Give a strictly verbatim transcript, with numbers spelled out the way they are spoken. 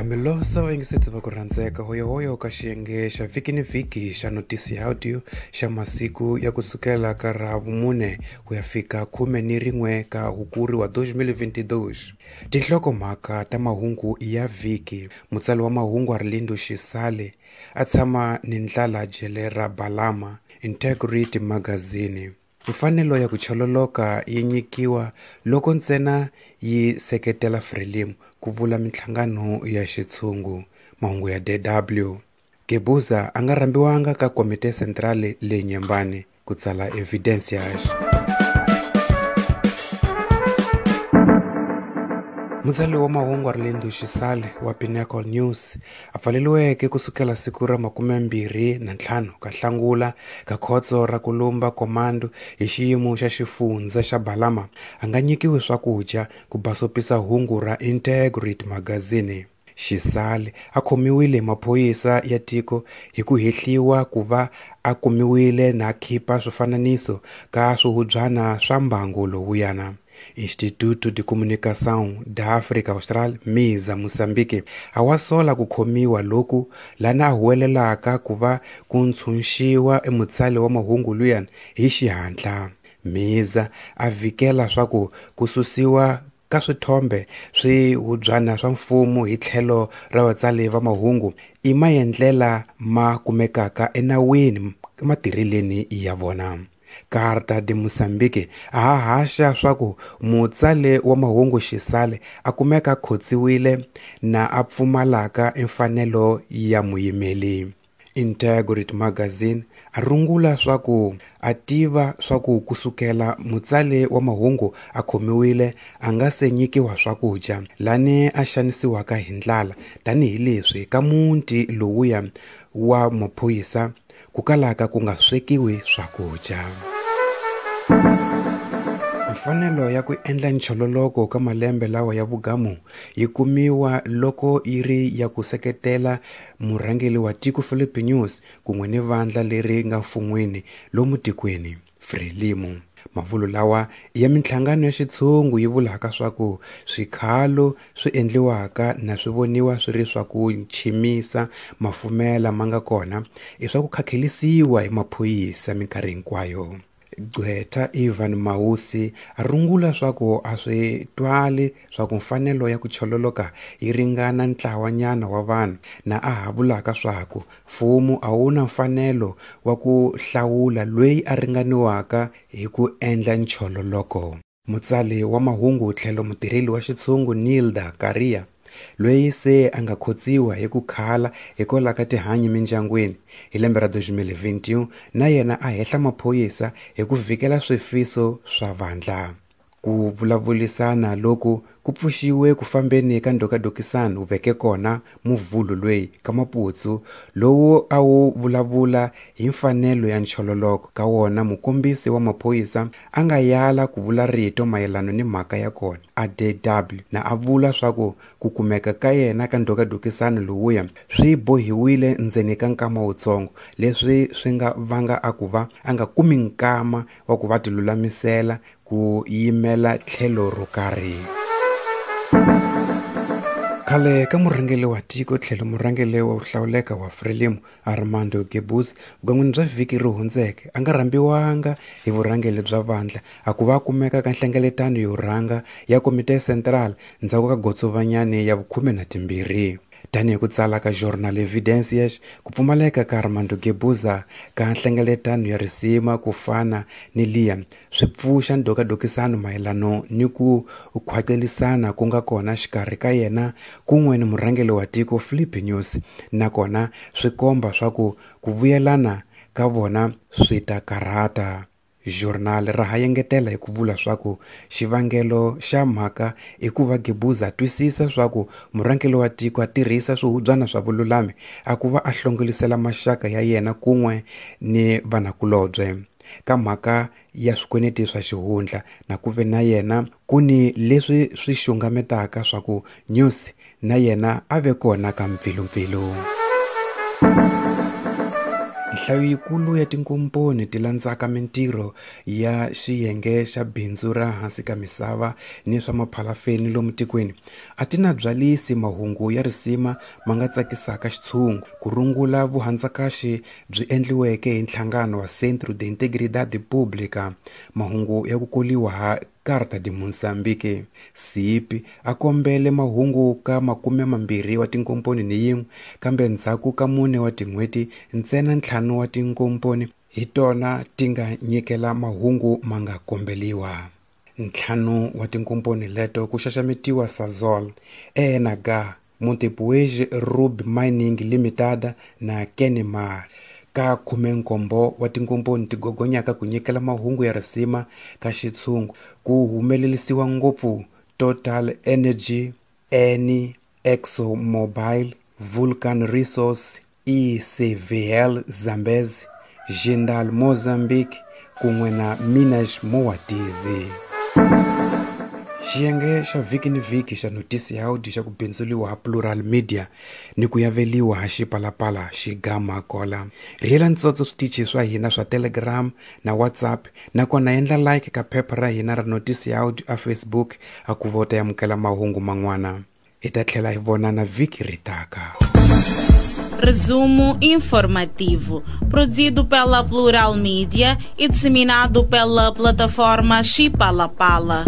Milosa vayingiseti va ku rhandzeka hoyohoyo ka xiyenge xa vhiki ni vhiki xa notisi ya audio xa masiku ya kusukela ka ravumune ku ya fika khume ni rin'we ka hukuri wa twenty twenty-two. Tinhlokomhaka ta mahungu ya vhiki. Mutsari wa mahungu Arlindo Xisale a tshama ni ndlala jele ra Balama, Integrity Magazine. Mfanelo ya ku chololoka yi nyikiwa loko ntsena yi seketela Frelimo ku vula minhlangano ya xitshungu. Mahungu ya D W. Guebuza a nga rhambiwanga ka Komite Centrale le Nyembani ku tsala Evidencias. Mutsari wa mahungu Arlindo Xisale wa Pinnacle News a pfaleriweke kusukela siku ra makume mbirhi na ntlhanu ka Nhlangula ka khotso ra Kulumba Commando hi xiyimo xa xifundza xa Balama a nga nyikiwi swakudya ku basopisa hungu ra Integrity Magazine. Xisale a khomiwile hi maphorisa ya tiko hi ku hehliwa ku va a kumiwile na khipa swifananiso ka swihubyana swa mbangu lowuyana. Instituto de Comunicação da África Austral, MISA, Moçambique, a wa sola ku khomiwa loku lana a huwelelaka ku va ku ntshunxiwa emutsali wa mahungu luyani hi xihatla. MISA a vikela swa ku ku susiwa ka swithombe swihubyana swa mfumo hi tlhelo ra vatsali va mahungu i maendlela ma kumekaka enawini ematirheleni ya vona. Carta de Moçambique a ha haxa swa ku mutsali wa mahungu Xisale a kumeka khotsiwile na a pfumalaka mfanelo ya muyimeli. Integrity Magazine a rungula swa ku a tiva swa ku kusukela mutsali wa mahungu a khomiwile a nga se nyikiwa swakudya lani a xanisiwaka hi ndlala tanihileswi ka muti lowuya wa maphorisa ku kalaka ku nga swekiwi swakudya. Mfanelo ya ku endla nchololoko ka malembe lawa ya vugamu yi kumiwa loko yi ri ya ku seketela murhangeri wa tiko Filipe Nyusi kun'we ni vandla leri nga mfun'wini lomu tikweni Frelimo. Mavulo lawa ya minhlangano ya xitshungu yi vulaka swa ku swikhalo swi endliwaka na swi voniwa swi ri swa ku nchimisa mafumela ma nga kona i swa ku khakhelisiwa hi maphorisa minkarhi hinkwayo. Gqwetha Ivan Mausi a rungula swa ku a swi twali swa ku mfanelo ya ku chololoka yi ringana ntlawanyana wa vanhu na a ha vulaka swa ku mfumo a wu na mfanelo wa ku hlawula loyi a ringaniwaka hi ku endla nchololoko. Mutsali wa mahungu tlhelo mutirheli wa xitshungu Nilda Karia loyi se a nga khotsiwa hi ku khala hikwalaho ka tihanyi mindyangwini hi lembe ra twenty twenty-one na yena a hehla maphorisa hi ku vikela swifiso swa vandla. Ku vulavurisana loku ku pfuxiwe ku fambeni ka ndhokadokisano veke kona muvhulu loyi ka Maputsu lowu a wu vulavula hi mfanelo ya nchololoko ka wona mukombisi wa maphorisa a nga yala ku vula rito mayelana ni mhaka ya kona a D W na a vula swa ku ku kumeka ka yena ka ndhokadokisano lowuya swi bohiwile ndzeni ka nkama wutsongo leswi swi nga vanga a ku va a nga kumi nkama wa ku va tilulamisela ku yimela tlhelo ro karhi. Khale ka murhangeri wa tiko tlhelo murhangeri wa hlawuleka wa Frelimo Armando Guebuza vugan'wini bya vhiki ri hundzeke a nga rhambiwanga hi vurhangeri bya vandla a ku va a kumeka ka nhlengeletano yo rhanga ya Komite Central ndzhaku ka gotsovanyani ya vukhume na timbirhi. Tanihi ku tsala ka Jornal Evidencias, ku pfumaleka ka Armando Guebuza ka nhlengeletano ya risima ku fana ni liya swi pfuxa ndhokadokisano mayelano ni ku khwacelisana ku nga kona xikarhi ka yena kun'we ni murhangeri wa tiko Filipe Nyusi, nakona swi komba swa ku ku vuyelana ka vona swi ta karhata. Journal ra ha engetela hi ku vula swa ku xivangelo xa mhaka i ku va Guebuza a twisisa swa ku murhangeri wa tiko a tirhisa swihubyana swa vululami a ku va a hlongolisela maxaka ya yena kun'we ni vanakulobye ka mhaka ya swikweleti swa xihundla na ku ve na yena ku ni leswi swi xungametaka swa ku Nyusi na yena a ve kona ka mpfilumpfilu. Nhlayo yikulu ya tinkomponi ti landzaka mintirho ya xiyenge xa bindzu ra hansi ka misava ni swa maphalafeni lomu tikweni a ti na byalisi mahungu ya risima ma nga tsakisaka xitshungu ku rungula vuhandzakaxi byi endliweke hi nhlangano wa Centro de Integridade Pública mahungu ya ku koliwa ha Carta de Moçambique C I P a kombele mahungu ka makume mambirhi wa tinkomponi ni yin'we kambe ndzhaku ka mune wa tin'hweti ntsena ntlhanu wa tinkomponi hi tona ti nga nyikela mahungu ma nga kombeliwa. Ntlhanu wa tinkomponi leto ku xaxametiwa Sasol, E N H, Montepuez Ruby Mining Limited na Kenmare. Ka khumenkombo wa tinkomponi ti gogonyaka ku nyikela mahungu ya risima ka xitshungu ku humelerisiwa ngopfu Total Energy, Eni, ExxonMobil, Vulcan Resource, E C V L Zambezi, Jindal Mozambique kun'we na Minas Moatize. Xiyenge xa vhiki ni vhiki xa notisi ya audio xa ku bindzuliwa ha Plural Media ni ku yaveliwa ha Xipalapala xigama kola. Rhiyela ntsotso switichi swa hina swa Telegram na WhatsApp nakona endla like ka phepha ra hina ra notisi ya audio a Facebook a ku vota amukela mahungu man'wana. Hi ta tlhela hi vonana vhiki ri taka. Resumo informativo, produzido pela Plural Mídia e disseminado pela plataforma Xipalapala.